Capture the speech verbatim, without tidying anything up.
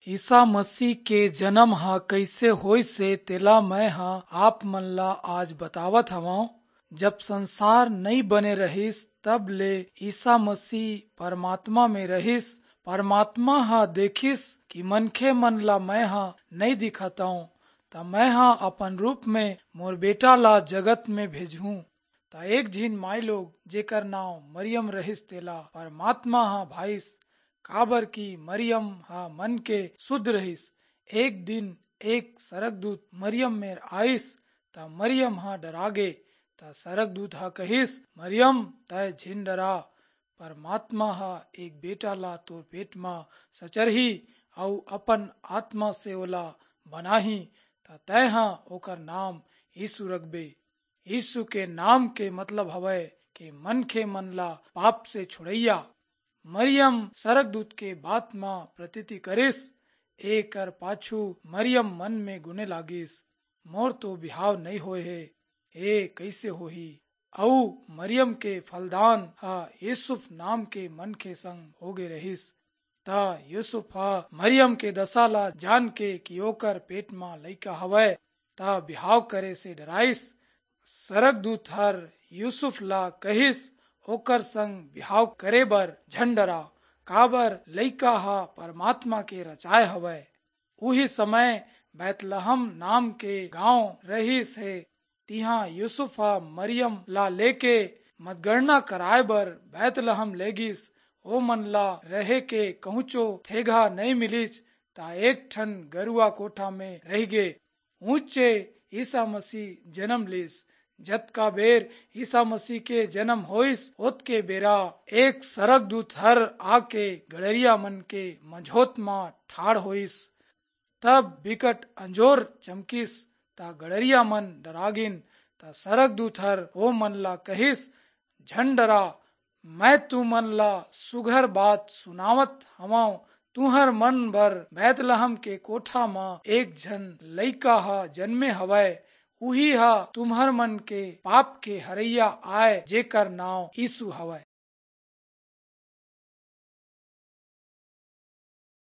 ईसा मसीह के जन्म ह कइसे होइस हे, तेला मैं ह आप मन ला आज बतावत हवंव। जब संसार नई बने रहिस, तब ले ईसा मसीह परमात्मा में रहिस। परमात्मा ह देखिस कि मनखे मन ला मैं ह नई दिखतंव, त मैं ह अपन रूप में मोर बेटा ला जगत में भेजहूं। त एक झिन माई लोग, जेकर नांव मरियम रहिस, तेला परमात्मा ह भाईस, काबर कि मरियम ह मन के शुद्ध रहिस। एक दिन एक सरगदूत मरियम मेर आइस, त मरियम ह डरागे। त सरगदूत ह कहिस, "मरियम, तय झिन डरा, परमात्मा ह एक बेटा ला तोर पेट म सचरही, अऊ अपन आत्मा से ओला बनाही, त तय ह ओकर नाम यीशु रखबे।" यीशु के नाम के मतलब हवय कि मनखे मन ला पाप से छुड़ैया। मरियम सरगदूत के बात म प्रतीति करिस। एकर पाछू मरियम मन में गुने लागिस, "मोर तो बिहाव नई होए हे, ए कइसे होही?" अऊ मरियम के फलदान ह यूसुफ नाम के मनखे संग होगे रहिस। त यूसुफ ह मरियम के दशा ला जान के कि ओकर पेट म लइका हवय, त बिहाव करे से डराइस। सरगदूत हर यूसुफ ला कहिस, "ओकर संग बिहाव करे बर झन डरा, काबर लइका ह परमात्मा के रचाय हवय।" उही समय बैतलहम नाम के गांव रहिस हे। तिहां यूसुफ ह मरियम ला लेके मतगणना कराय बर बैतलहम लेगिस। ओमन ला रहे के कहूंचो थेगा नइ मिलिस, त एक ठन गरुआ कोठा में रहिगे। उहचे ईसा मसीह जन्म लिस। जतका बेर ईसा मसीह के जन्म होइस, ओतके बेरा एक सरगदूत हर आके गड़रिया मन के मझोत म ठाढ़ होइस। तब बिकट अंजोर चमकिस, त गड़रिया मन डरागिन। त सरगदूत हर ओ मन ला कहिस, "झन डरा, मैं तुमन ला सुघर बात सुनावत हवंव। तुहर मन बर बैतलहम के कोठा म एक झन लइका ह जन्मे हवय। उही ह तुम्हर मन के पाप के हरैया आय, जेकर नांव यीशु हवय।"